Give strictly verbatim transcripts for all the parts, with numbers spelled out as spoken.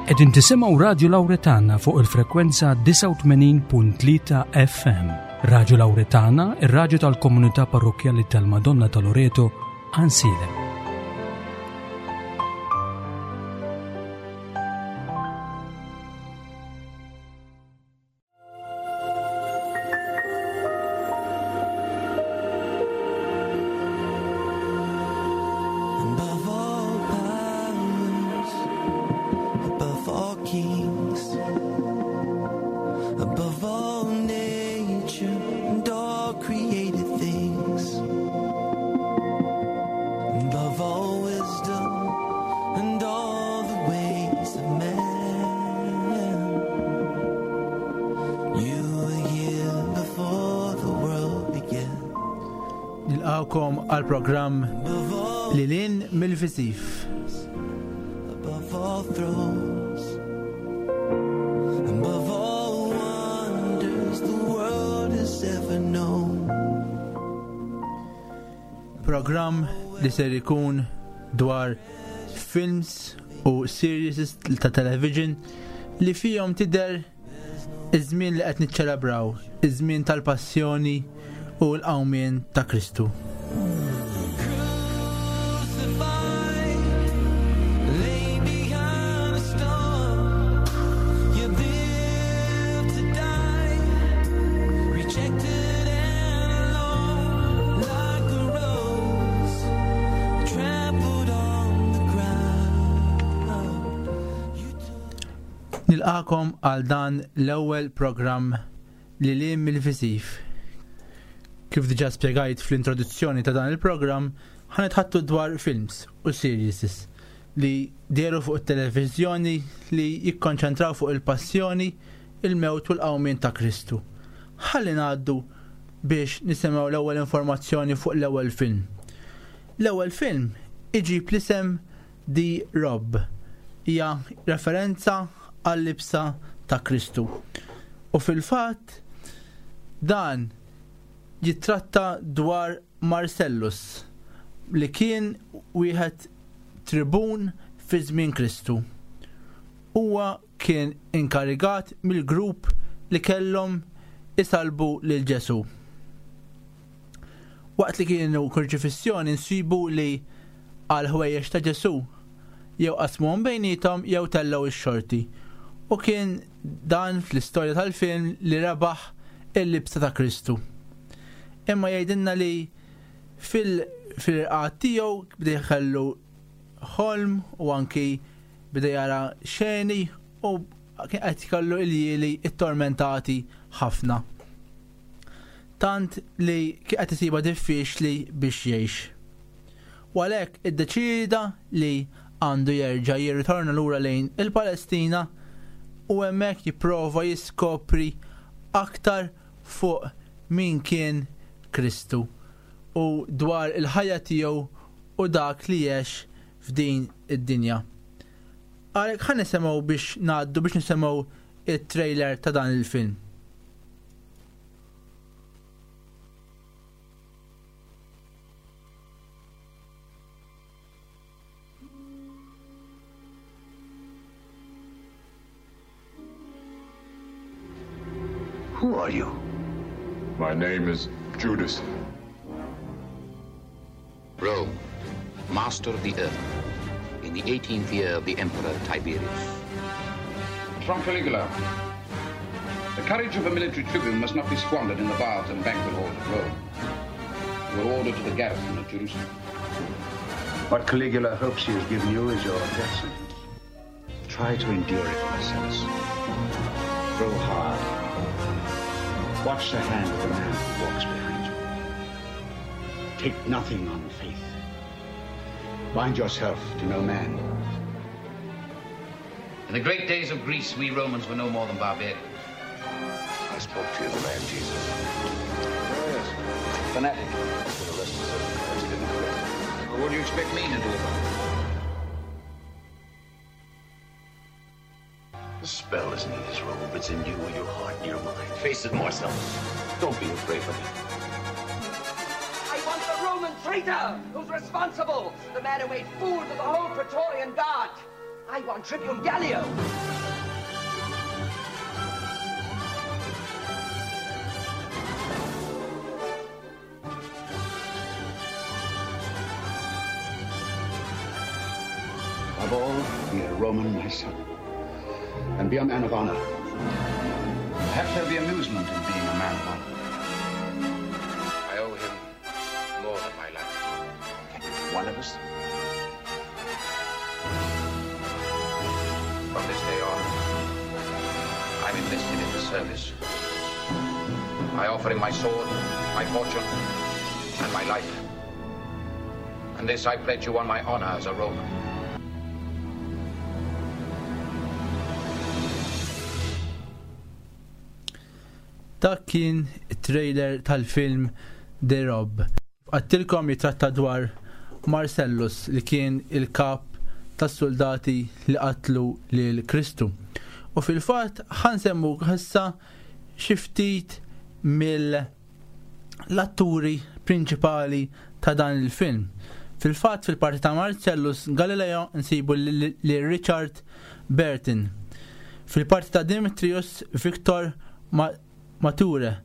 Qegħdin tisimgħu Radio Lauretana fuq il-frekwenza disgħa u tmenin punt tlieta F M. Radio Lauretana, ir-radju tal-komunità parrokkjali tal-Madonna ta' Loreto, Għajnsielem. Above all powers, above all kings, above all nature and all created things, above all wisdom and all the ways of man, you were here before the world began. Nilqawkom għal programm Above all Lilin mill-Viżiv. Above all thrones, above all wonders the world has ever known. Programm li ser ikun dwar films u series ta' television li fihom tidher iż-żmien li qed niċċelebraw, iż-żmien tal-passjoni u l-qawmien ta' Kristu. Nilqakom għal dan l-ewwel programm li liem mill-viżiv. Kif diġà spjegajt fl-introduzzjoni ta' dan il-programm, ħanitħattu dwar films u series li dehru fuq it-televiżjoni li jikkonċentraw fuq il-passjoni, il-mewt u l-qawmien ta' Kristu. Ħalli ngħaddu biex nisimgħu l-ewwel informazzjoni fuq l-ewwel film. L-ewwel film iġib l-isem The Robe. Hija referenza għall-libsa ta' Kristu. U fil-fatt dan jitratta dwar Marcellus li kien wieħed tribun fi żmien Kristu. Huwa kien inkarigat mill-grupp li kellhom isalbu lil Ġesu. Waqt li kienu kurċifissjoni nsibu li għal ħwejjeġ ta' Ġesu jew qasmuhom bejniethom jew tellgħu x-xorti. U kien dan fl-istorja tal-film li rebaħ il-libsa ta' Kristu. Imma jgħidilna li fil-, fil-irqad tiegħu beda jħallu ħolm u anki beda jara xeni u kien qed jkollu iljieli ittormentati ħafna. Tant li kien qed isiba diffiċli biex jgħix. U għalhekk iddeċieda li għandu jerġa' jirritorna lura lejn il-Palestina u hemmhekk jipprova jiskopri aktar fuq min kien Kristu u dwar il-ħajja tiegħu u dak li għex f'din id-dinja. Għalhekk ħa nisimgħu biex ngħaddu biex nisimgħu it-trailer ta' dan il-film. Who are you? My name is Judas. Rome, master of the earth, in the eighteenth year of the Emperor Tiberius. From Caligula. The courage of a military tribune must not be squandered in the baths and banquet halls of Rome. You were ordered to the garrison of Jerusalem. What Caligula hopes he has given you is your death sentence. Try to endure it, Marcellus. Grow hard. Watch the hand of the man who walks behind you. Take nothing on faith. Bind yourself to no man. In the great days of Greece, we Romans were no more than barbarians. I spoke to you, the man Jesus. Oh, yes. Fanatic. Been arrested several times, didn't commit. Well, what do you expect me to do about it? The spell isn't in his robe, it's in you, your heart, and your mind. Face it, Marcellus. Don't be afraid of it. I want the Roman traitor who's responsible, the man who made fools of the whole Praetorian Guard. I want Tribune Gallio. Above all, be a Roman, my son, and be a man of honor. Perhaps there'll be amusement in being a man of honor. I owe him more than my life. Can you be one of us? From this day on, I'm enlisted in his service. I offer him my sword, my fortune, and my life. And this I pledge you on my honor as a Roman. Dak kien it-trailer tal-film The Rob. Għattilkom jitratta dwar Marcellus li kien il-kap tas-soldati li qatlu lil Kristu. U fil-fatt ħansemmu issa xi ftit mill-atturi prinċipali ta' dan il-film. Fil-fatt fil-parti ta' Marcellus Galileo nsibu lil Richard Burton. Fil-parti ta' Demetrius Victor Ma Mature.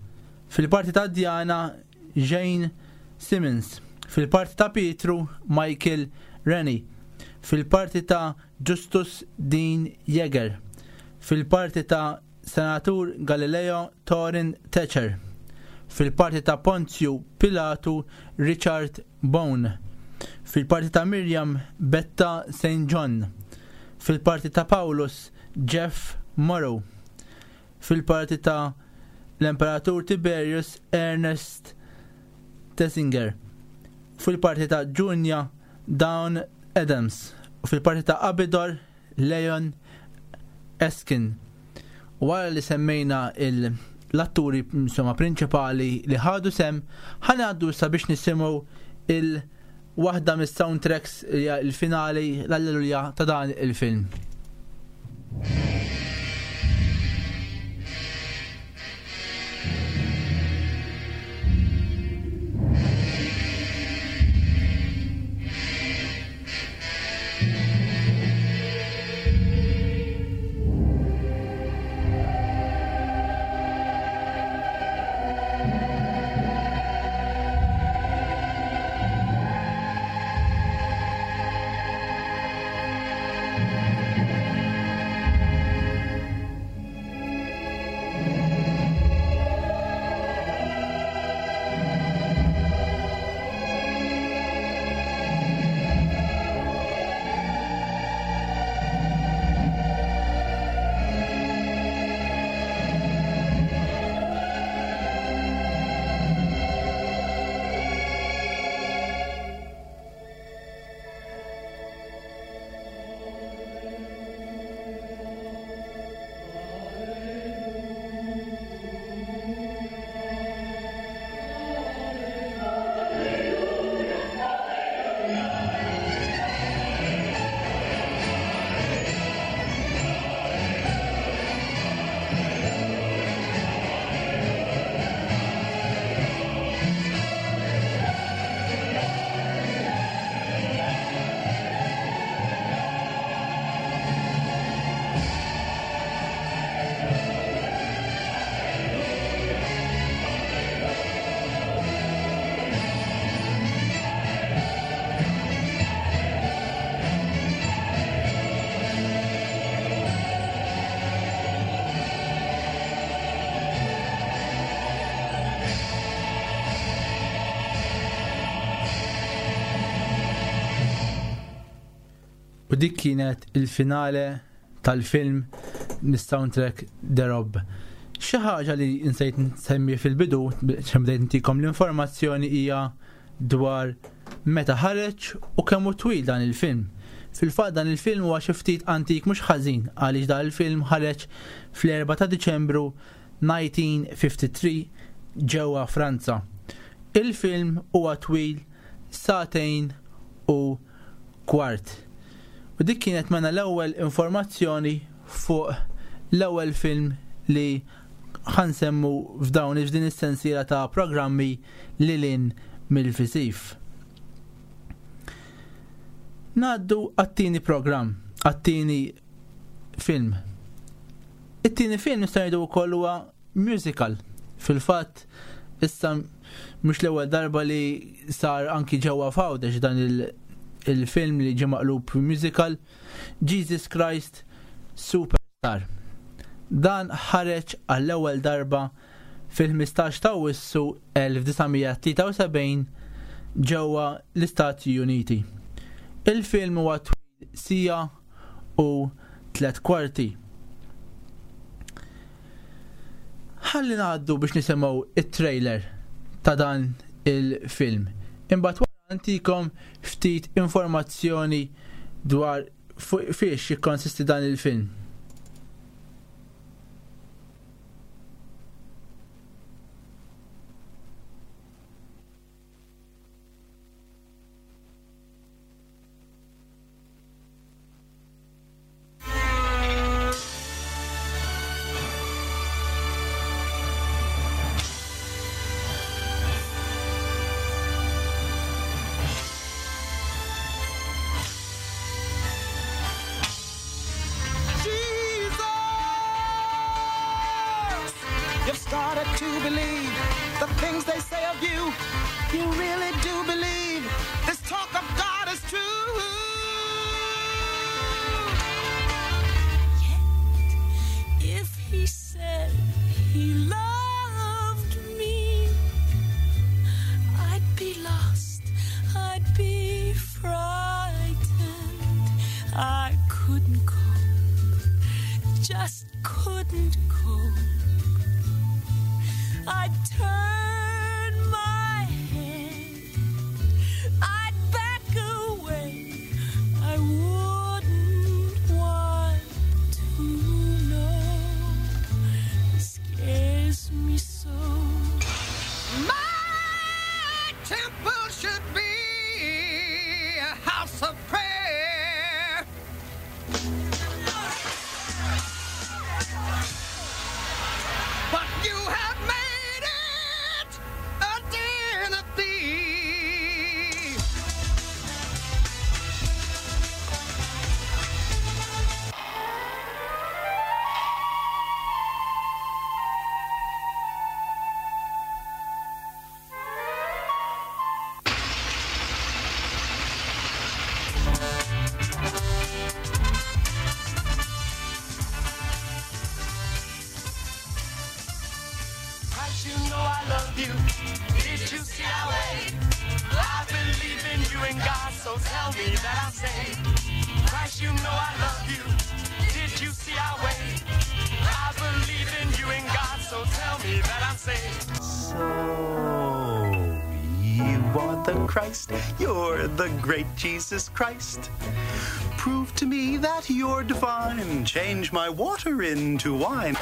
Fil-parti ta' Diana Jane Simmons. Fil-parti ta' Pietru Michael Rennie. Fil-parti ta' Justus Dean Yeager. Fil-parti ta' Senatur Galileo Torin Thatcher. Fil-parti ta' Ponzio Pilatu Richard Bone. Fil-parti ta' Miriam Betta Saint John. Fil-parti ta' Paulus Jeff Morrow. Fil-parti ta' l-Imperatur Tiberius Ernest Tessinger. Fil-parti ta' Junia Dawn Adams. U fil-parti ta' Abidor Leon Eskin. U wara li semmejna l-atturi insomma prinċipali li ħadu sem, ħanaddu sabiex nisimgħu il-waħda mis-soundtracks il-finali l-Alleluja ta' dan il-film. U dik kienet il-finale tal-film mis-soundtrack The Rob. Xi ħaġa li nsejt nsemmi fil-bidu, biex bdejt ntikom l-informazzjoni, hija dwar meta ħareġ u kemm hu twil dan il-film. Fil-fatt dan il-film huwa xi ftit antik mhux ħażin, għaliex dan il-film ħareġ fl-erba ta' Diċembru nineteen fifty-three ġewwa Franza. Il-film huwa twil sagħtejn u kwart. U dik kienet mena l-ewwel informazzjoni fuq l-ewwel film li ħansemmu f'dawn f'din is-sensiela ta' programmi lilin mill-Fisif. Ngħaddu għat-tieni programm, għat-tieni film. It-tieni film nista' ngħidu wkoll huwa musical. Fil-fatt issa mhux l-ewwel darba li sar anki ġewwa f'Għawdex dan il-film li ġie maqlub musical, Jesus Christ Superstar. Dan ħareġ għall-ewwel darba fil-ħmistax ta' Awwissu elf disa' mija tlieta u sebgħin ġewwa l-Istati Uniti. Il-film huwa twil sija u tliet kwarti. Ħalli ngħaddu biex nisimgħu it-trailer ta' dan il-film. Imbagħad wara ntikom ftit informazzjoni dwar fu-, fiex jikkonsisti dan il-film. Christ, you're the great Jesus Christ. Prove to me that you're divine. Change my water into wine.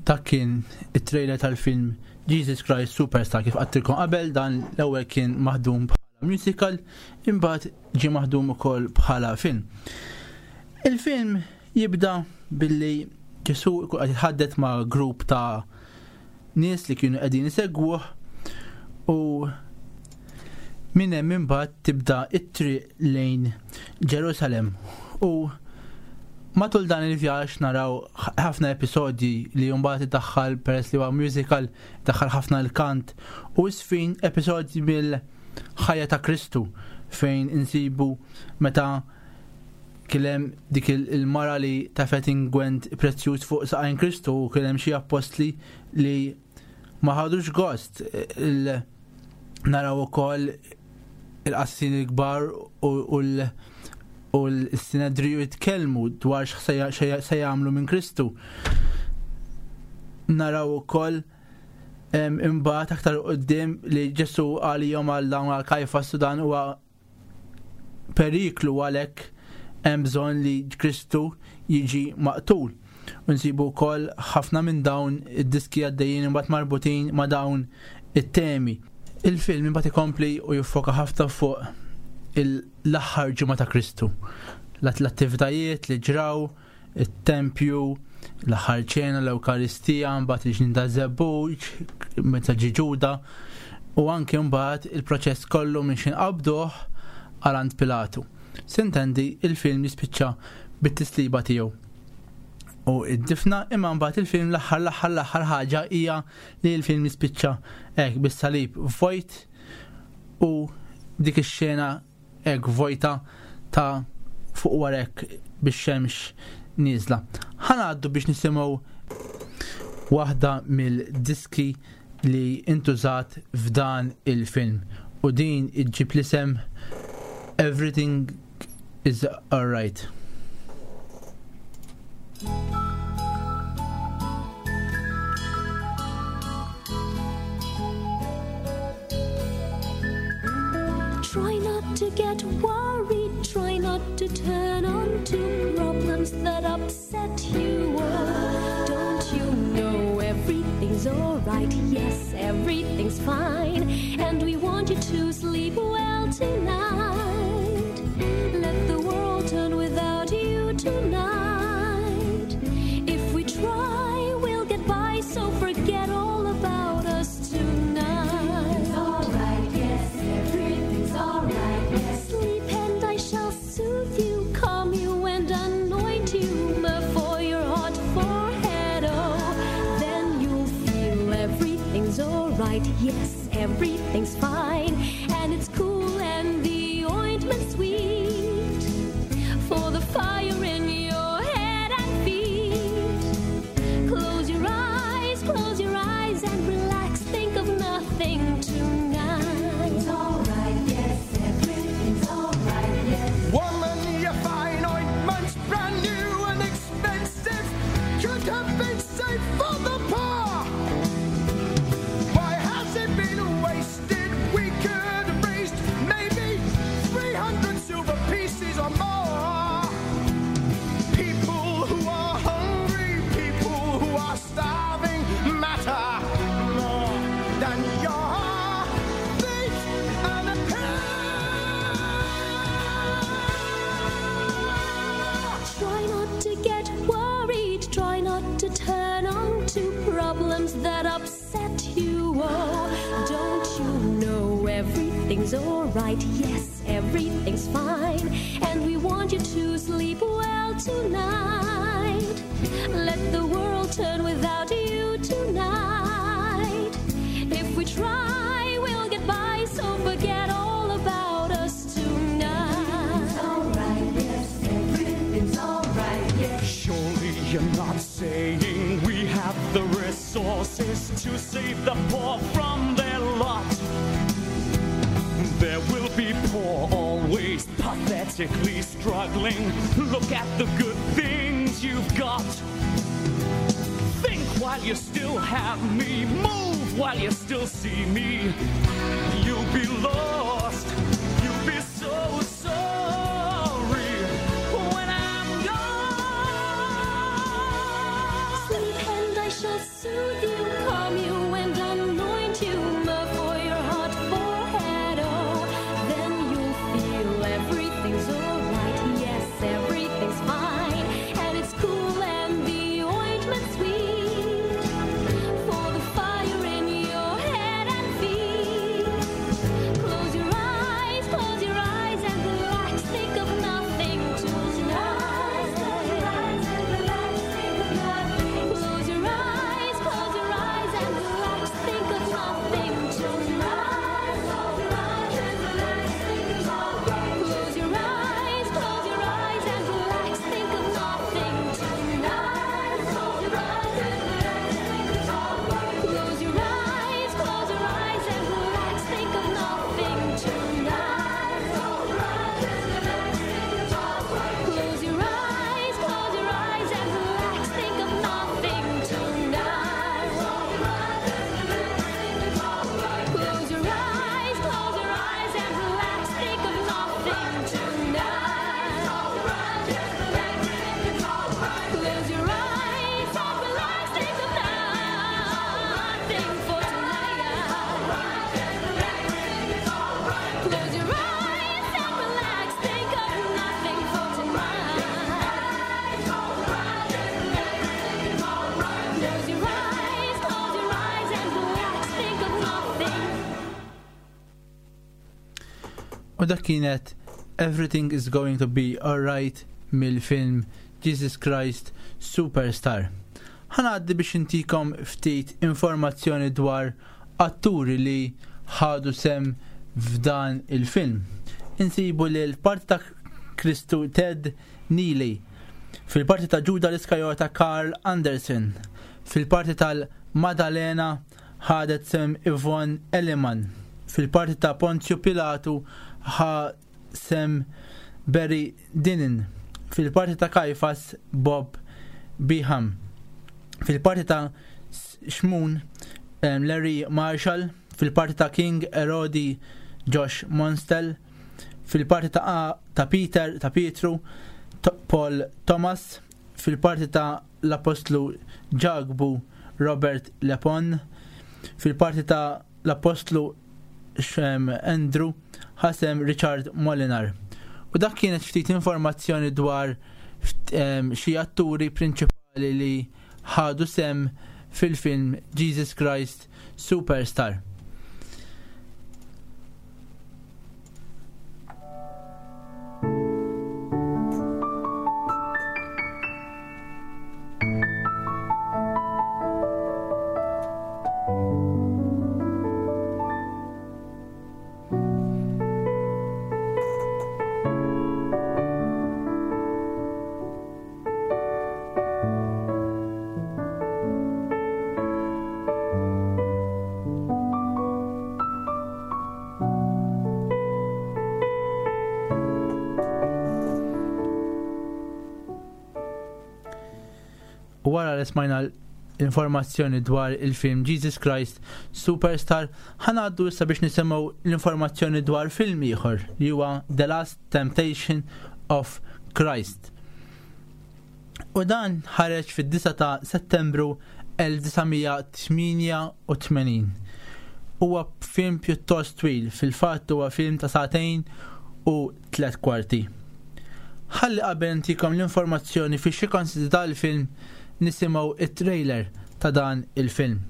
Dak kien it-trailer tal-film Jesus Christ Superstar kif għattilkom qabel. Dan l-ewwel kien maħdum bħala musical, imbagħad ġie maħdum ukoll bħala film. Il-film jibda billi Ġesu jkun qed jitħaddet ma' grupp ta' nies li kienu qegħdin isegwuh, u minn hemm imbagħad tibda t-triq lejn Ġerusalem, u Matul dan il-vjaġġ naraw ħafna episodji li mbagħad iddaħħal, peress li huwa musical, iddaħħal ħafna l-kant u sfin episodji mill-ħajja ta' Kristu fejn insibu meta kien hemm dik il-mara li tefgħet ingwent prezzjuż fuq saqajn Kristu u kien hemm xi appostli li ma ħadux gost. Naraw ukoll il-qassin il-kbar u l- u l-Sinedriju jitkellmu dwar x'se jagħmlu minn Kristu. Naraw ukoll imbagħad aktar quddiem li Ġesu għalihom għal dawn għal Kajfas u dan huwa periklu, għalhekk hemm bżonn li Kristu jiġi maqtul. Nsibu wkoll ħafna minn dawn id-diski għaddejjin imbagħad marbutin ma' dawn it-temi. Il-film imbagħad ikompli u jiffoka ħafna fuq l-aħħar ġimgħa ta' Kristu. L-attivitajiet li ġraw, it-tempju, l-aħħar ċena, l-Ewkaristija, mbagħad il-ġnien ta' żebbuġ, meta ġie Ġuda, u anke mbagħad il-proċess kollu minn xi nqabduh għal għand Pilatu. Sintendi il-film jispiċċa bit-tisliba tiegħu. U id-difna, imma mbagħad il-film l-aħħar l-aħħar l-aħħar ħaġa hija li l-film jispiċċa hekk bis-salib vojt u dik ix-xena hekk vojta ta' fuq warek bix-xemx nieżla. Ħa ngħaddu biex nisimgħu waħda mill-diski li intużat f'dan il-film u din iġġib l-isem Everything is Alright. Try not to get worried, try not to turn on to problems that upset you. Oh, don't you know everything's alright? Yes, everything's fine, and we want you to sleep well tonight. Let the world turn without you tonight. If we try, we'll get by, so forget all about us tonight. It's alright, yes, everything's alright, yes. Sleep and I shall soothe you, calm you and anoint you, myrrh for your hot forehead, oh. Then you'll feel everything's alright, yes, everything's fine, and it's cool and the ointment's sweet for the fire in your head and feet. Close your eyes, close your eyes and relax, think of nothing tonight. It's alright, yes, everything's alright, yes. Woman, your fine ointment's brand new and expensive, could have been saved for the poor. Why has it been wasted? We could have raised maybe three hundred silver pieces or more. People who are hungry, people who are starving matter more than your feet and a pair. Try not to get worried, try not to turn on to problems that upset you. Oh, don't you know everything's alright? Yes, everything's fine, and we want you to sleep well tonight. Let the world turn without you tonight. If we try, we'll get by, so forget all about us tonight. It's alright, yes, everything's alright, yes. Surely you're not saying we have the resources to save the poor from their lot. There will be poor always, pathetically struggling. Look at the good things you've got. Think while you still have me, move while you still see me. You'll be lost, you'll be so sorry when I'm gone. Sleep and I shall soothe you, calm you and anoint you, myrrh for your hot forehead, oh. Then you'll feel everything's alright, yes, everything's fine, and it's cool and the ointment's sweet for the fire in your head and feet. Close your eyes, close your eyes and relax, think of nothing tonight. U dak kienet Everything is Going to Be Alright mill-film Jesus Christ Superstar. Ħanaddi biex intikom ftit informazzjoni dwar atturi li ħadu sem f'dan il-film. Insibu li l-parti ta' Kristu Ted Neely, fil-parti ta' Ġuda l-Iskarjota Carl Anderson, fil-parti tal-Madalena ħadet sem Yvonne Elliman, fil-parti ta' Ponzio Pilatu ħa sem Barry Dinin, fil-parti ta' Kajfas Bob Beham, fil-parti ta' Xmun Larry Marshall, fil-parti ta' King Erodi Josh Monstel, fil-parti ta', ta' Peter ta' Pietru Paul Thomas, fil-parti ta' l-Apostlu Ġakbu Robert Lepon, fil-parti ta' l-Apostlu Andrew ħasem Richard Molinar. U dak kienet ftit informazzjoni dwar xi atturi prinċipali li ħadu sem fil-film Jesus Christ Superstar. Wara li smajna l-informazzjoni dwar il-film Jesus Christ Superstar, ħanaddu issa biex nisimgħu l-informazzjoni dwar film ieħor li huwa The Last Temptation of Christ. U dan ħareġ fid-disgħa ta' Settembru elf disa' mija tmienja u tmenin. Huwa film pjuttost twil, fil-fatt huwa film ta' sagħtejn u tliet kwarti. Ħalli qabel ntikom l-informazzjoni fi xi konsisti dal-film nisimgħu it-trailer ta' dan il-film.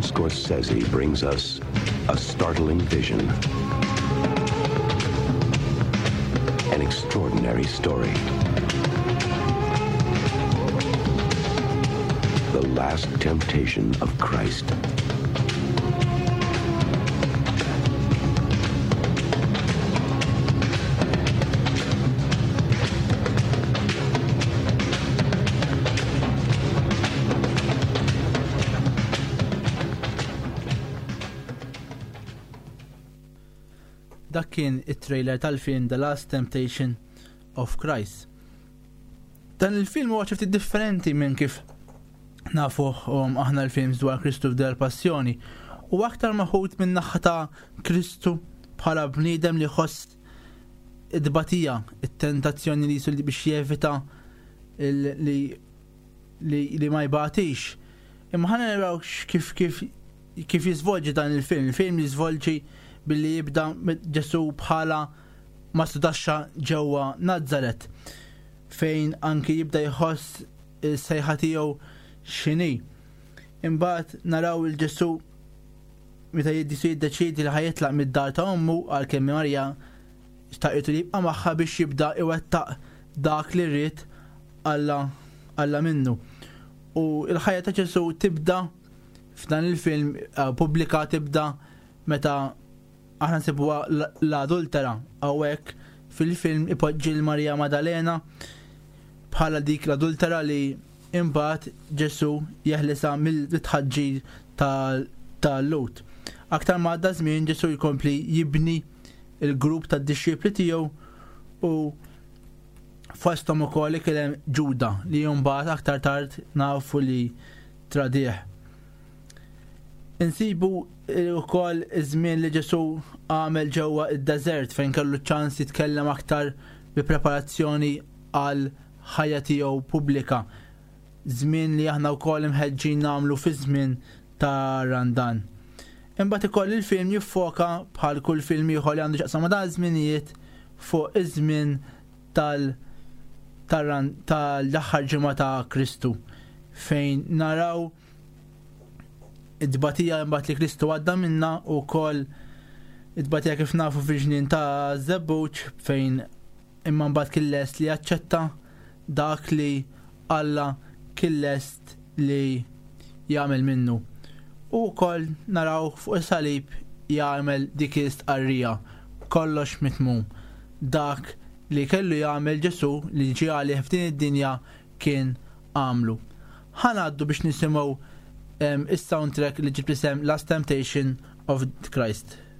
Scorsese brings us a startling vision, an extraordinary story. The Last Temptation of Christ. Dak kien it-trailer tal-film The Last Temptation of Christ. Dan il-film huwa xi ftit differenti minn kif nafuh um, aħna l-films dwar Kristu f'del Passjoni. U aktar maħud minn naħa ta' Kristu bħala bniedem li jħoss id-batija, it-tentazzjoni li jisul biex jevita li, li, li ma jbatix. Imma ħana naraw kif, kif, kif jiżvolġi dan il-film. Il-film jiżvolġi billi jibda Ġesu bħala mastudaxxa ġewwa Nazaret, fejn anki jibda jħoss is-sejħa tiegħu x'inhi. Imbagħad naraw il-Ġesu meta Ġesu jiddeċiedi li ħajitlaq mid-dar ta' ommu għalkemm Marija xtaqitu li jibqa' magħha biex jibda iwettaq dak li rrid Alla, Alla minnu. U l-ħajja ta' Ġesu tibda f'dan il-film eh, pubblika tibda meta aħna nsibuha l-adultera hawnhekk fil-film ipoġġi l-Marija Maddalena bħala dik l-adultera li imbagħad Ġesù jeħlisha mill-tħaġġir tal-Lut. Aktar ma għadda żmien Ġesù jkompli jibni il-grupp tad-dixxipli tiegħu u fosthom ukoll kien hemm Ġuda li mbagħad aktar tard nafu li tradih. Insibu wkoll iż-żmien li Ġesù għamel ġewwa id-deżert fejn kellu ċans jitkellem aktar bi preparazzjoni għal ħajja tiegħu pubblika. Żmien li aħna wkoll imħeġġin nagħmlu fi żmien ta' Randan. Imbagħad ikoll il-film jiffoka bħal kull film ieħor li għandu x'jaqsam ma' dan iż-żminijiet fuq iż-żmien tal tal-aħħar ġimgħa ta' Kristu fejn naraw id-tbatija imbagħad li Kristu għadda minna u wkoll id-tbatija kif nafu fil-ġnien ta' Żebbuġ fejn imma mbagħad kien lest li jaċċetta dak li Alla kien lest li jagħmel minnu. U wkoll naraw fuq is-salib jagħmel dik l-istqarrija kollox mitmum. Dak li kellu jagħmel Ġesù li ġie għalih f'din id-dinja kien għamlu. Ħa ngħaddu biex nisimgħu is-soundtrack li ġib isem Last Temptation of Christ. Thank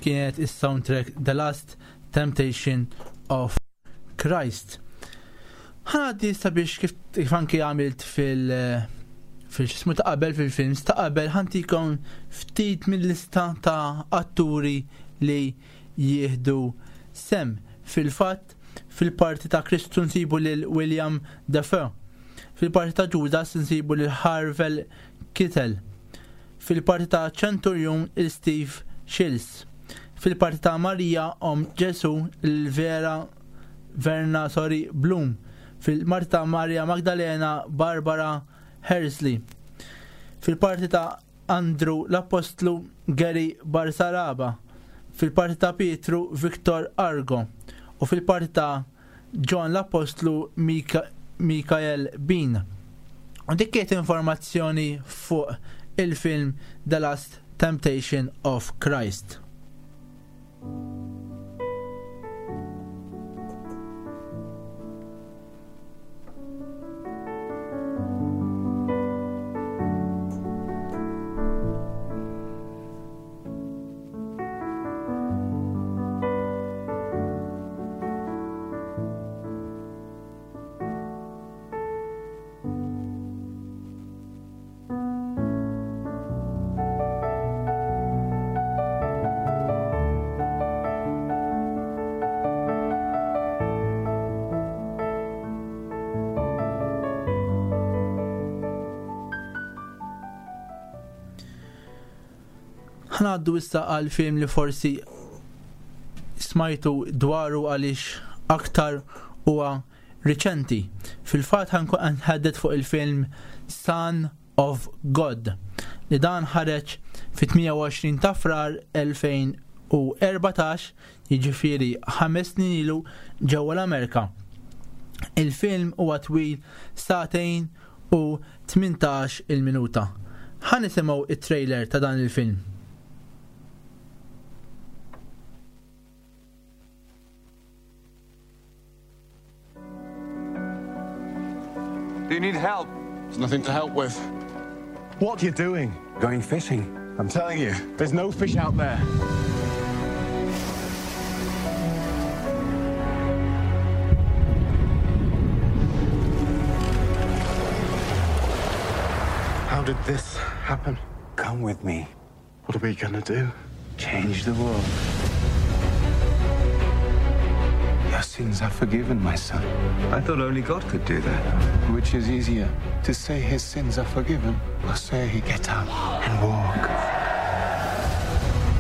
kienet is-soundtrack The Last Temptation of Christ. Ħanaddi sabiex kif, kif anki għamilt fil- fil-xismu ta' qabel fil-films ta' qabel ħantikom ftit mill-lista ta' atturi li jieħdu sem. Fil-fatt, fil-parti ta' Kristu nsibu lil William Dafoe. Fil-parti ta' Judas nsibu lil Harvey Keitel. Fil-parti ta' Centurion il Steve Shields. Fil-parti ta' Marija om Ġesu il-Vera Verna sorry Bloom. Fil-parti ta' Maria Magdalena Barbara Hersley. Fil-parti ta' Andrew l-Apostlu Gary Barsaraba. Fil-parti ta' Pietru Victor Argo. U fil-parti ta' John l-Apostlu Mika Michael Bean. U dik kienet informazzjoni fuq il-film The Last Temptation of Christ. Ħanaddu issa għal film li forsi smajtu dwaru għaliex aktar huwa riċenti. Fil-fatt ħankun nħaddet fuq il-film Son of God li dan ħareġ fit-tmienja u għoxrin ta' Frar elfejn u erbatax, jiġifieri ħames snin ilu ġewwa l-Amerika. Il-film huwa twil sagħtejn u tmintax il-minuta. Ħa nisimgħu it-trailer ta' dan il-film. Do you need help? There's nothing to help with. What are you doing? Going fishing. I'm telling you, there's no fish out there. How did this happen? Come with me. What are we gonna do? Change the world. Your sins are forgiven, my son. I thought only God could do that. Which is easier, to say his sins are forgiven, or say he get up and walk?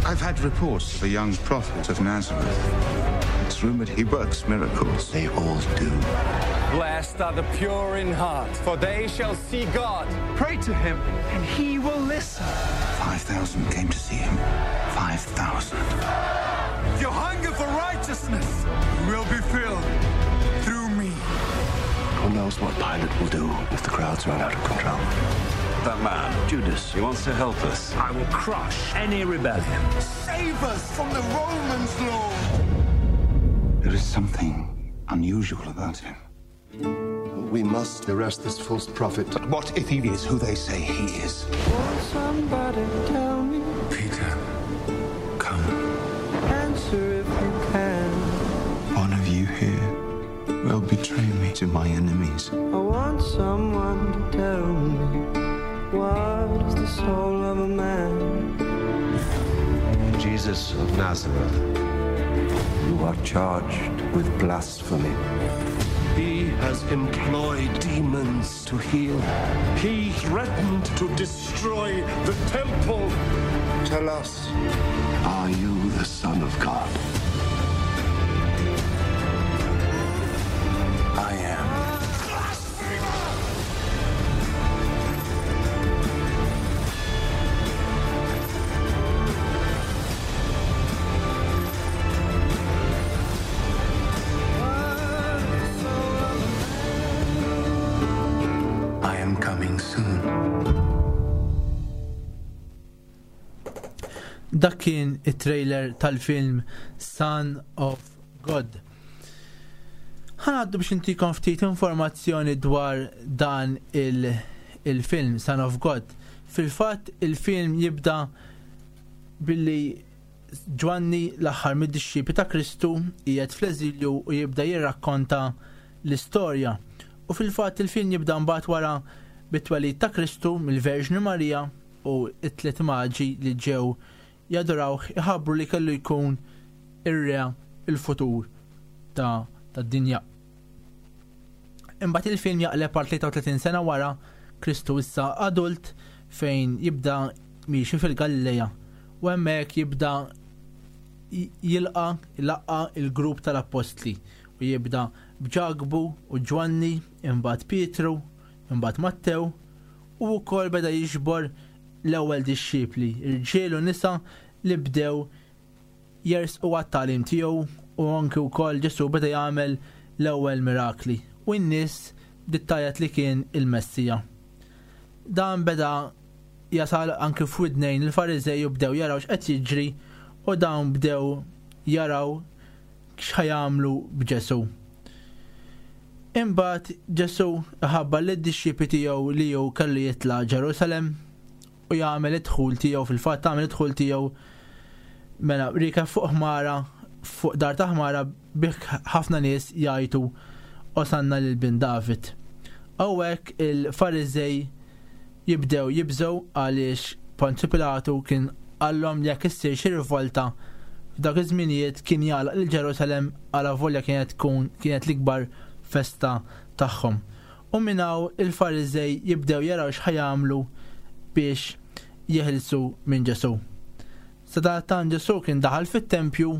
I've had reports of a young prophet of Nazareth. It's rumored he works miracles. They all do. Blessed are the pure in heart, for they shall see God. Pray to him, and he will listen. Five thousand came to see him. Five thousand. Your hunger for righteousness will be filled through me. Who knows what Pilate will do if the crowds run out of control? That man, Judas, he wants to help us. I will crush any rebellion. Save us from the Romans, Lord. There is something unusual about him. We must arrest this false prophet. But what if he is who they say he is? Won't somebody tell me? Peter, come. Answer if you can. One of you here will betray me to my enemies. I want someone to tell me, what is the soul of a man? Jesus of Nazareth, you are charged with blasphemy. He has employed demons to heal. He threatened to destroy the temple. Tell us, are you the Son of God? I am. I am coming soon. Dak kien it-trailer tal-film Son of God. Ħanaddu biex intikom ftit informazzjoni dwar dan il- il-film Son of God. Fil-fatt il-film jibda billi Ġwanni, l-aħħar mid-dixxipli ta' Kristu, qiegħed fl-eżilju u jibda jirrakkonta l-istorja. U fil-fatt il-film jibda mbagħad wara bit-twelid ta' Kristu mill-Verġni Marija u t-tliet maġi li ġew jadurawh iħabbru li kellu jkun ir-re il-futur ta' tad-dinja. Imbagħad il-film jaqleb għal tlieta u tletin sena wara, Kristu issa adult, fejn jibda miexi fil-Galileja u hemmhekk jibda jilqa jlaqqa il-grupp tal-appostli u jibda b'Ġakbu u Ġwanni, imbagħad Pietru, imbagħad Mattew, u wkoll beda jiġbor l-ewwel dixxipli, irġiel u nisa li bdew jersqu għat-tagħlim tiegħu, u anki wkoll Ġesu beda jagħmel l-ewwel mirakli u n-nies dittajat li kien il-Messija. Dan beda jasal anki f'widnejn il-Fariżej u bdew jaraw x'qed jiġri u dawn bdew jaraw x'ħa jagħmlu b'Ġesu. Imbagħad Ġesu ħabbar lid-dixxipli tiegħu li hu kellu jitla' Ġerusalem u jagħmel id-dħul tiegħu, fil-fatt għamel id-dħul tiegħu mela riekeb fuq ħmara, fuq dar ta' ħmara, bih ħafna nies jgħajtu "Osanna lil bin David". Hawnhekk il-Fariżej jibdew jibżgħu għaliex Ponzju Pilatu kien qallhom jekk issir xi rivolta f'dak iż-żminijiet kien jagħlaq lil Ġerusalem, għala volja kienet tkun kienet l-ikbar festa tagħhom. U minn hawn il-Fariżej jibdew jaraw x'ħa jagħmlu biex jeħilsu minn Ġesu. Sadattant Ġesu kien daħal fit-tempju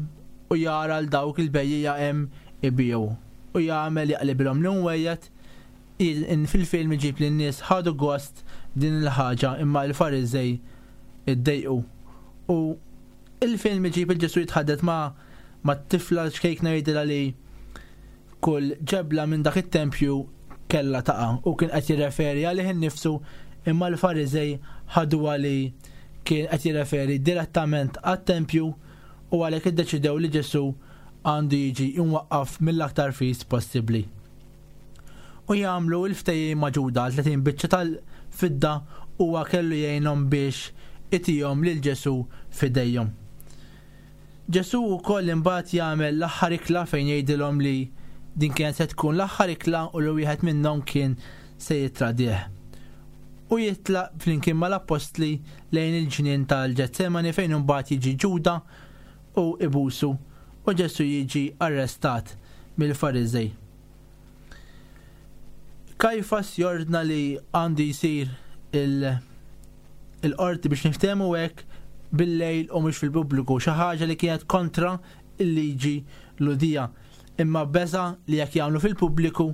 u jara l dawk il-bejjiegħa hemm ibigħu u jagħmel jaqlibilhom l-imwejjed. Fil-film iġib li n-nies ħadu gost din il-ħaġa, imma l-Fariżej iddejqu. U il-film iġib lil Ġesu jitħaddet ma' ma' tifla ċkejkna, jgħidilha li kull ġebla minn dak it-tempju kella taqa' u kien qed jirreferi għalih innifsu, imma l-Fariżej ħaduha li kien qed jirreferi direttament għat-tempju u għalhekk iddeċidew li Ġesu għandu jiġi imwaqqaf mill-aktar fis possibbli. U jagħmlu l-ftehim ma' Ġuda għal tletin biċċa tal-fidda, huwa kellu jgħinhom biex itihom lil Ġesu f'idejhom. Ġesu wkoll imbagħad jagħmel l-aħħar ikla fejn jgħidilhom li din kienet se tkun l-aħħar ikla u li wieħed minnhom kien se jitradih. U jitlaq flimkien mal-appostli lejn il-ġnien tal-Ġetsemani fejn imbagħad jiġi Ġuda u ibusu u Ġesu jiġi arrestat mill-Fariżej. Kajfas jordna li għandu jsir il-qorti, biex niftehmu hekk, bil-lejl u mhux fil-pubbliku, xi ħaġa li kienet kontra il-liġi Lhudija. Imma beża li jekk jagħmlu fil-pubbliku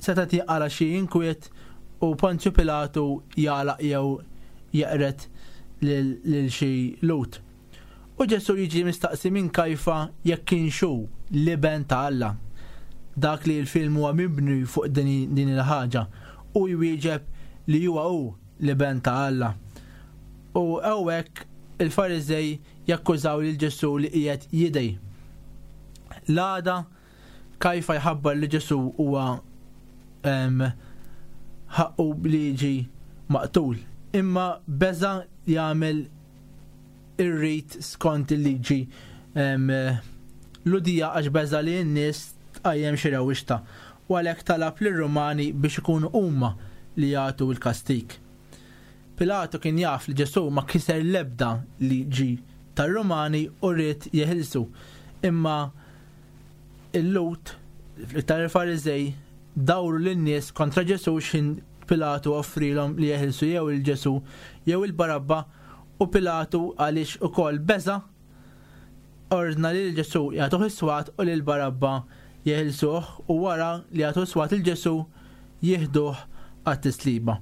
seta' jinqala xi inkwiet u Ponzju Pilatu jagħlaq jew jeqred lil xi Lhud. U Ġesu jiġi mistaqsi minn Kajfa jekk kienx hu l-iben ta' Alla. Dak li l-film huwa mibni fuq din il-ħaġa, u jwieġeb li huwa hu l-iben ta' Alla. U hawnhekk il-Fariżej jakkużaw lil Ġesu li qiegħed jidgħi. L-għada Kajfa jħabbar li Ġesu huwa ħaqqu li jiġi maqtul. Imma beża jagħmel ir-rit skont il-liġi Lhudija għax beża li n-nies tqajjem xi rewwixta u għalhekk talab lir-Rumani biex ikunu huma li jagħtu l-kastik. Pilatu kien jaf li Ġesu ma kiser l-ebda liġi tar-Rumani u ried jeħilsu. Imma il-Lhud, iktar il-Fariżej, dawru lin-nies kontra Ġesu x'ħin Pilatu offrilhom li jeħilsu jew lil Ġesu jew il-Barabba, u Pilatu, għaliex ukoll beża, ordna li l-Ġesu jagħtuh is-swat u lil Barabba jeħilsuh, u wara li jagħtu s-swat lil Ġesu jieħduh għat-tisliba,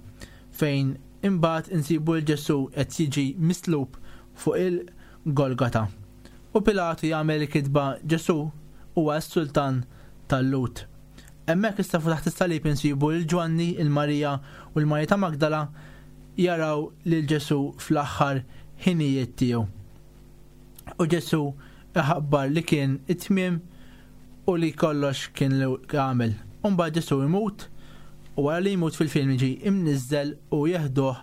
fejn imbagħad insibu lil Ġesu qed jiġi mislub fuq il-Golgata. U Pilatu jagħmel kitba "Ġesu huwa s-sultan tal-Lhud". Hemmhekk issa fuq taħt is-salib insibu lil Ġwanni, il-Marija u l-Marija ta' Magdala jaraw lil Ġesu fl-aħħar ħinijiet tiegħu. U Ġesu iħabbar li kien it-tmiem u li kollox kien li għamel. Umbagħad Ġesu imut, u wara li jmut fil-film jiġi imniżżel u jeħduh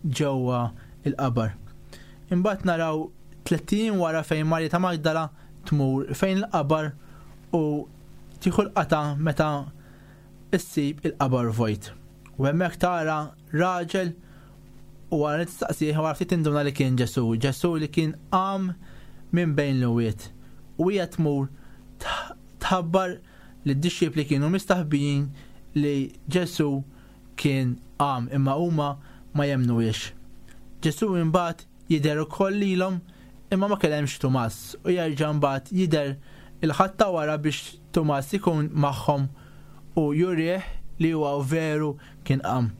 ġewwa il-qabar. Imbagħad naraw tlett ijiem wara fejn Marja ta' Magdala tmur fejn il-qabar u tieħu l-qata meta issib il-qabar vojt. U hemmhekk tara raġel u wara li tistaqsih wara ftit tinduna li kien Ġesù, Ġesù li kien qam minn bejn l-imwiet. U hija tmur tħabbar li d-dixxipli kienu mistaħbijin li Ġesù kien qam imma huma ma jemmnuhiex. Ġesù imbagħad jidher ukoll lilhom imma ma kellemx Tumas u jerġa' mbagħad jidher il-Ħadd ta' wara biex Tumas ikun magħhom u jurih li huwa veru kien qam.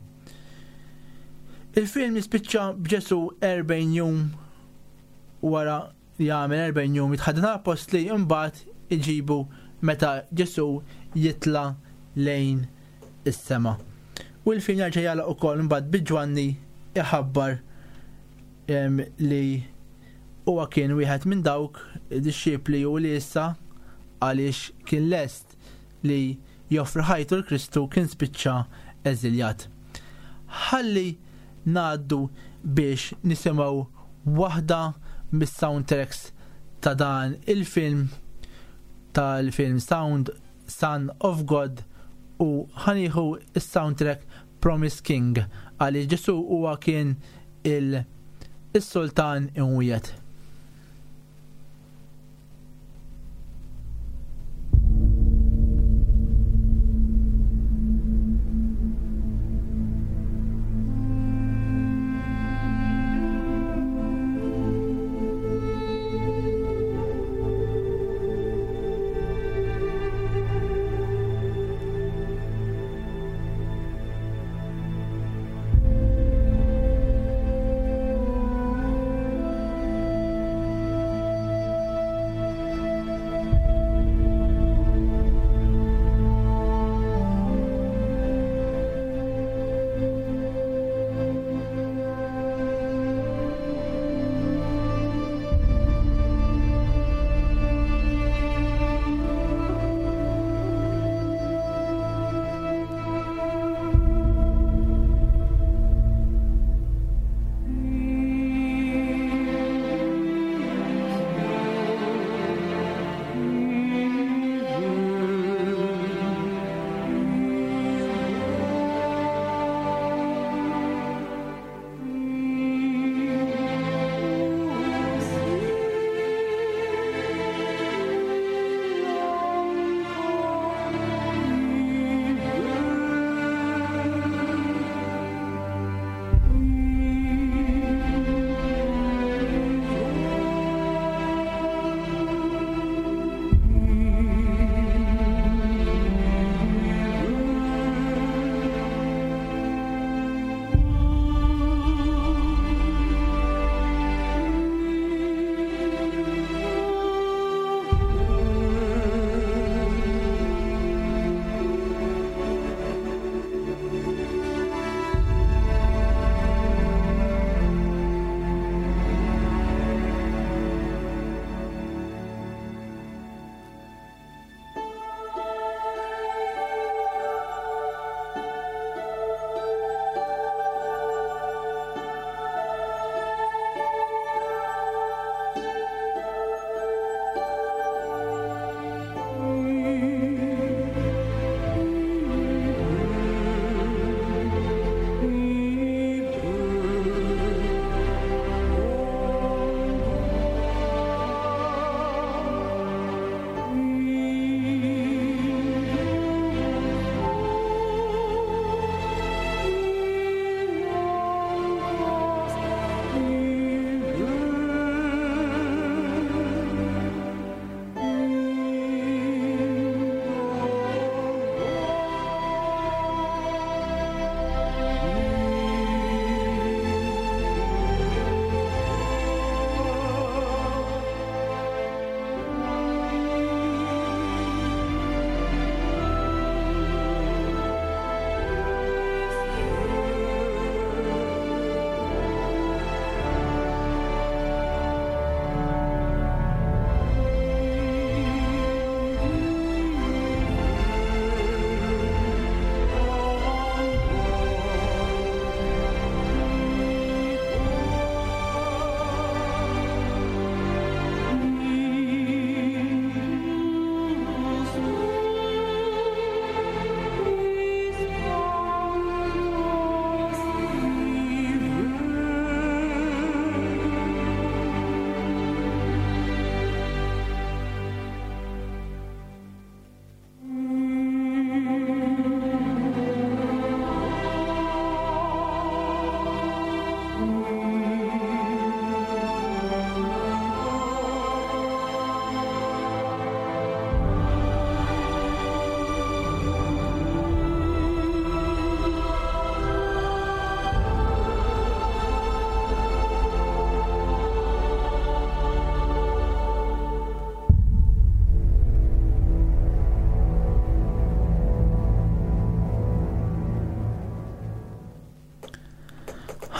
Il-film jispiċċa b'Ġesù erbgħin jum wara li jagħmel erbgħin jum jitħadden l-appostli imbagħad iġibu meta Ġesù jitla' lejn is-sema. U l-film jerġa' jagħlaq ukoll imbagħad bi Ġwanni iħabbar li huwa kien wieħed minn dawk id-dixxipli u li issa għaliex kien lest li joffri ħajtu l Kristu kien spiċċa eżiljat. Ħalli ngħaddu biex nisimgħu waħda mis-soundtracks ta' dan il-film, tal-film Sound Son of God, u ħanieħu is-soundtrack Promise King għaliex Ġesù huwa kien il-sultan imwiegħed.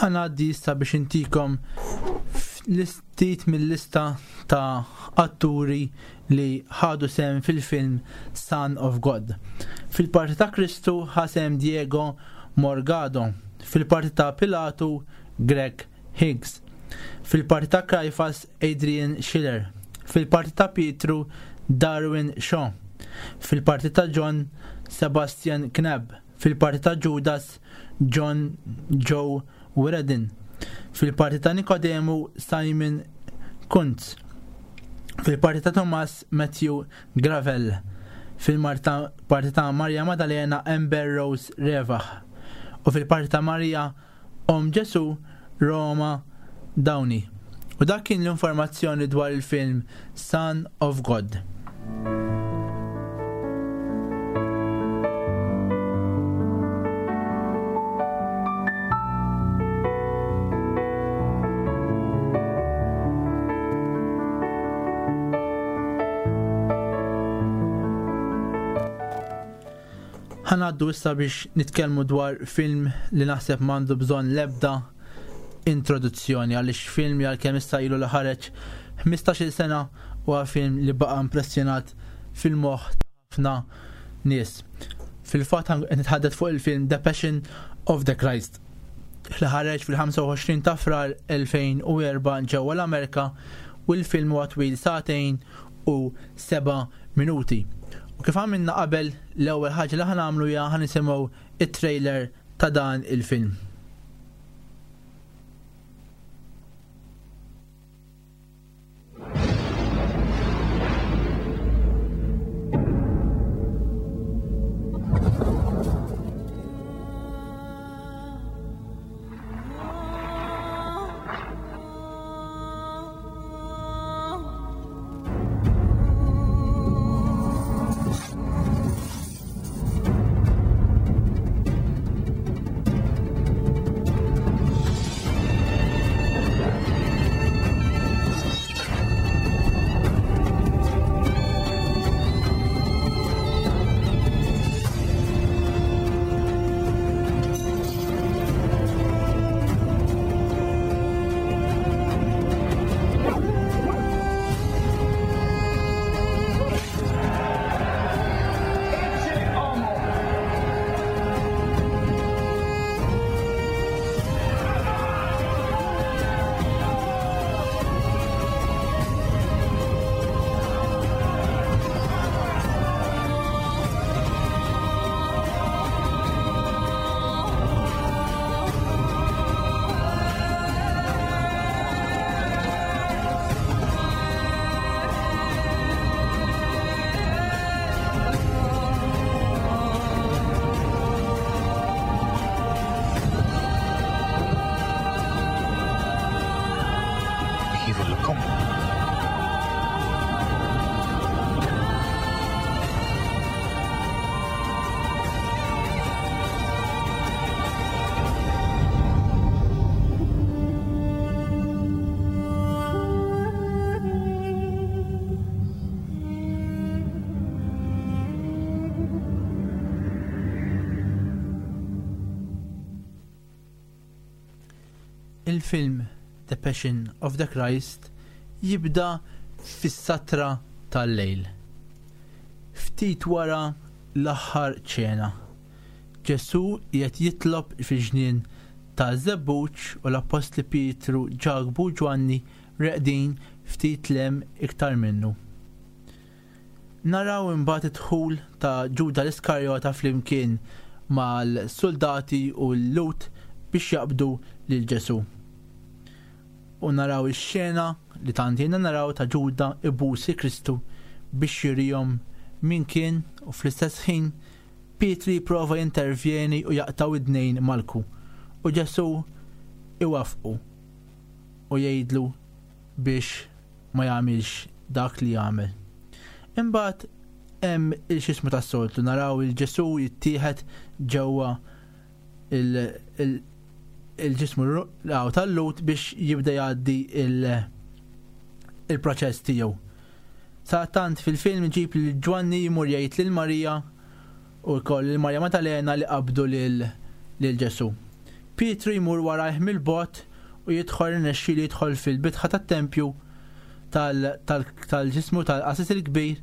Ħa ngħaddi issa biex intikom ftit mill-lista ta' atturi li ħadu sehem fil-film Son of God. Fil-parti ta' Kristu ħa sehem Diego Morgado, fil-parti ta' Pilatu Greg Higgs, fil-parti ta' Kajfas Adrian Schiller, fil-parti ta' Pietru Darwin Shaw, fil-parti ta' John Sebastian Knapp, fil-parti ta' Judas John Joe Wiredin, fil-parti ta' Nikodemu Simon Kuntz, fil-parti ta' Thomas Matthew Gravel, fil-parti ta' Maria Maddalena Amber Rose Revah, u fil-parti ta' Maria Om Ġesu Roma Downey. U dak kien l-informazzjoni dwar il-film Son of God. Ħa ngħaddu issa biex nitkellmu dwar film li naħseb m'għandu bżonn l-ebda introduzzjoni, għaliex film li għalkemm issa ilu li ħareġ ħmistax-il sena huwa film li baqa' impressjonat fil-moħħ ta' ħafna nies. Fil-fatt qed nitħaddet fuq il-film The Passion of the Christ li ħareġ fil-ħamsa u għoxrin ta' Frar elfejn u erba' ġewwa l-Amerika, u l-film huwa twil sagħtejn u seba' minuti. U kif għamilna qabel, l-ewwel ħaġa li ħa nagħmlu hija ħa nisimgħu it-trailer ta' dan il-film. Il-film The Passion of the Christ jibda fis-satra tal-lejl. Ftit wara l-aħħar ċena, Ġesu qiegħed jitlob fil-ġnien ta' Żebbuġ u l-Appostli Pietru, Ġakbu u Ġwanni reqdin ftit lem iktar minnu. Naraw imbagħad id-dħul ta' Ġuda l-Iskarjota flimkien mal-soldati u l-Lut biex jaqbdu lil Ġesu. U naraw ix-xena li tant jiena naraw ta' Ġuda ibusi Kristu biex jurihom min kien, u fl-istess ħin Pietri jipprova jintervjeni u jaqtaw id-dnejn Malku, u Ġesu iwafqu u jgħidlu biex ma jagħmilx dak li jagħmel. Imbagħad hemm il-xismu tas-soltu, naraw il-Ġesu jittieħed ġewwa il-, il-, il-ġismu r-, tal-Lut biex jibda jgħaddi il-, il-proċess tiegħu. Sadattant fil-film ġib lil Ġwanni jmur jgħid lil Marija u wkoll lil Marija Maddalena li qabdu lil, lil Ġesu. Pietru jmur warajh mill-bogħod u jidħol irnexxielu jidħol fil-bitħa tat-tempju tal-ġismu tal-qassis il-kbir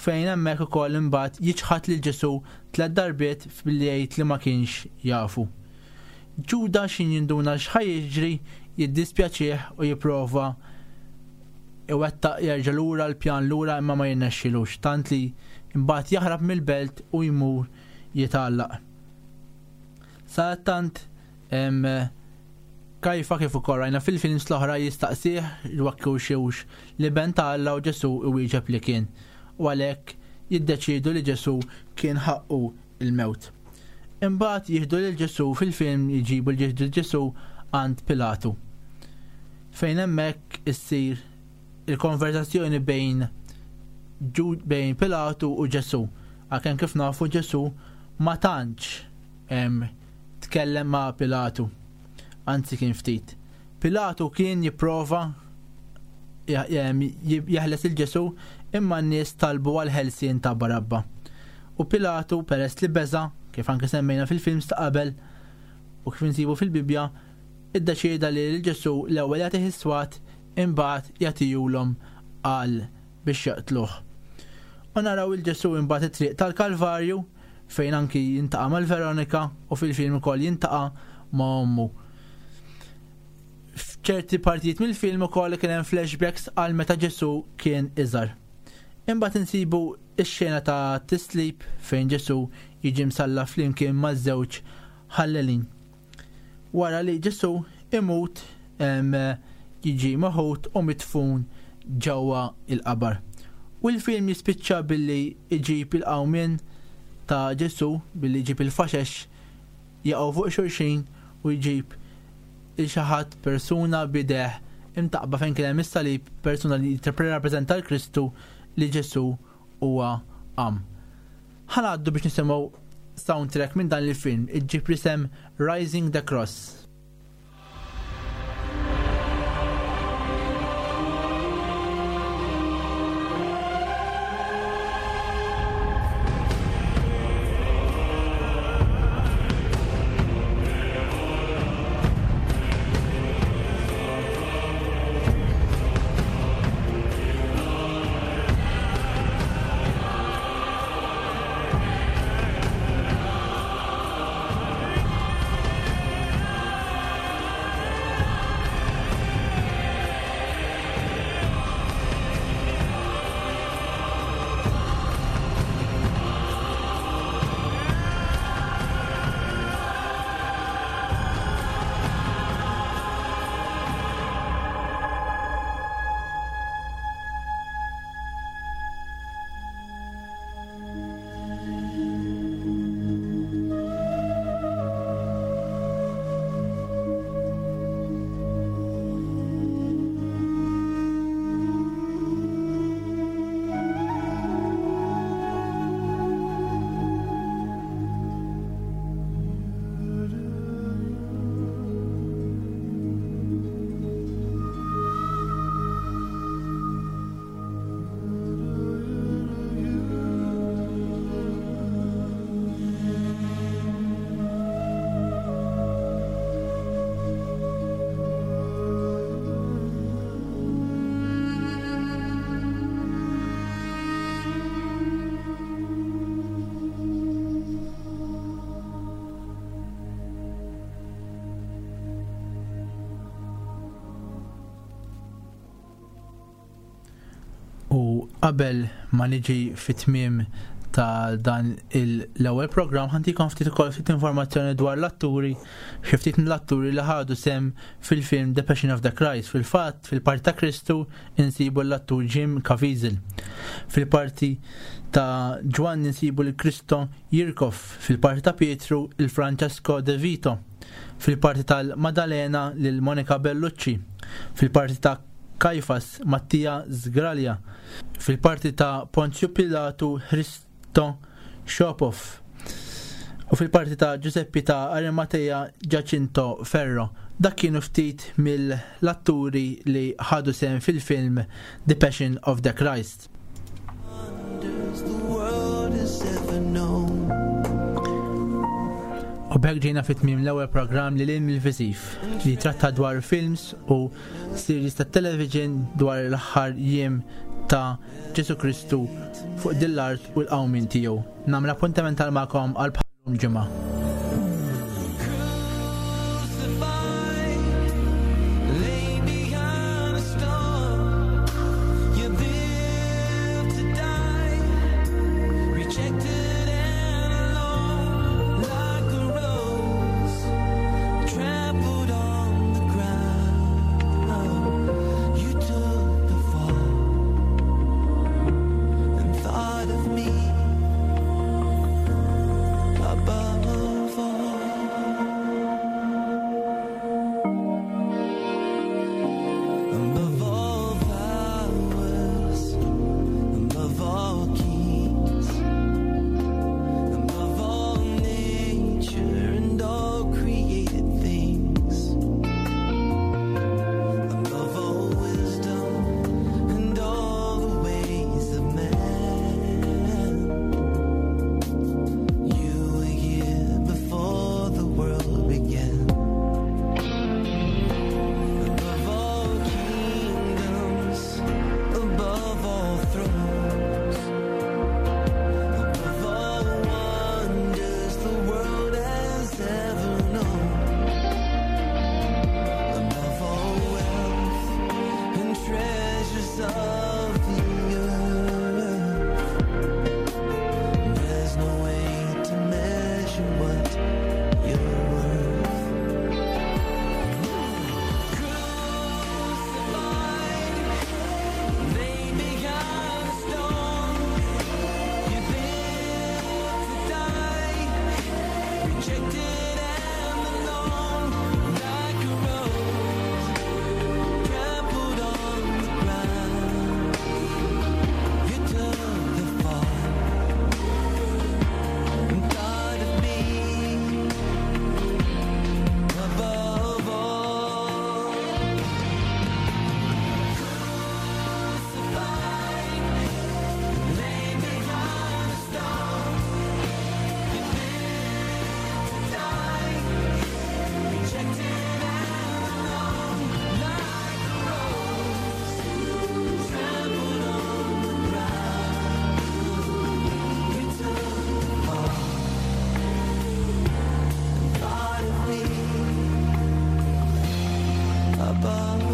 fejn hemmhekk ukoll imbagħad jiċħad lil Ġesù tliet darbiet billi jgħid li ma kienx jafu. Ġuda x'in jinduna x'ħa jiġri jiddispjaċih u jipprova iwettaq jerġa' lura l-pjan lura imma ma jirnexxilux, tant li imbagħad jaħrab mill-belt u jmur jitgħallaq. Sadattant Kajfa kif ukoll rajna fil-films l-oħra jistaqsih jekk hux l-iben ta' Alla u Ġesù iwieġeb li kien. U għalhekk jiddeċiedu li Ġesù kien ħaqqu il-mewt. Imbagħad jieħdu lil Ġesù fil-film jġibu lil Ġesù għand Pilatu. Fejn hemmhekk issir il-konversazzjoni bejn bejn Pilatu u Ġesù. Għalkemm kif nafu Ġesù ma tantx tkellem ma' Pilatu. Anzi kien ftit. Pilatu kien jipprova jeħles il-Ġesù imma n-nies talbu għal ħelsien ta' Barabba. U Pilatu peress li beża, kif anke semmejna fil-films ta' qabel u kif insibu fil-Bibbja, iddeċieda li l-Ġesù l-ewwel jagħtih is-swat imbagħad jagħtihulhom għal biex jaqtluh. U naraw il-Ġesù imbagħad it-triq tal-Kalvarju fejn anki jintaqa' mal-Veronika u fil-film ukoll jintaqa' ma' ommu. F'ċerti partijiet mill-film ukoll kien hemm flashbacks għal meta Ġesù kien iżgħar. Imbagħad insibu x-xena ta' tislib fejn Ġesù jiġi msalla flimkien maż-żewġ ħallelin. Wara li Ġesù imut jiġi maħut u mitfun ġewwa il-qabar. U l-film jispiċċa billi iġib il-qawmien ta' Ġesù, billi jġib il-faxex jaqgħu fuq xulxin u jġib il xi ħadd persuna bideh imtaqba fejn kien hemm is-salib, persuna li jirrappreżenta l-Kristu li Ġesù huwa qam. Ħa ngħaddu biex nisimgħu soundtrack minn dan il-film, iġġib l-isem Rising the Cross. U qabel ma niġi fit-tmiem ta' dan l-ewwel programm ħantikom ftit ukoll ftit informazzjoni dwar l-atturi, xi ftit mill-atturi li ħadu sem fil-film The Passion of the Christ. Fil-fatt, fil-parti ta' Kristu insibu l-attur Jim Caviezel. Fil-parti ta' Ġwanni insibu l-Kristo Jirkov, fil-parti ta' Pietru il-Francesco De Vito, fil-parti tal-Maddalena lil Monica Bellucci, fil-parti ta' Kajfas Mattia Sgraglia, fil-parti ta' Ponzio Pilatu Hristo Shopov u fil-parti ta' Giuseppe ta' Arimatea Giacinto Ferro. Dak kienu ftit mill-atturi li ħadu sehem fil-film The Passion of the Christ. U B'hekk ġejna fi tmiem l-ewwel programm li lil mill-viżiv li tratta dwar films u series ta' television dwar l-aħħar jiem ta' Ġesu Kristu fuq din l-art u l-qawmien tiegħu. Nagħmel appuntament tal magħkom għal bħalum ġimgħa. Lay behind a storm. You live to die, rejected and alone, like a rose trampled on the ground. You took the fall and thought of me above all. Above all powers, above all kings, above all nature and all created things, above all wisdom and all the ways of man, you were here before the world began. Above all kingdoms, above all thrones, above all wonders the world has ever known, above all wealth and treasures of the earth, there's no way to measure what you're worth. Crucified, laid behind a stone. You live to die, rejected and alone, like a rose trampled on the ground. You took the fall and thought of me above all. Lay behind a stone. You live to die, rejected and alone, like a rose trampled on the ground. You took the fall and thought of me above.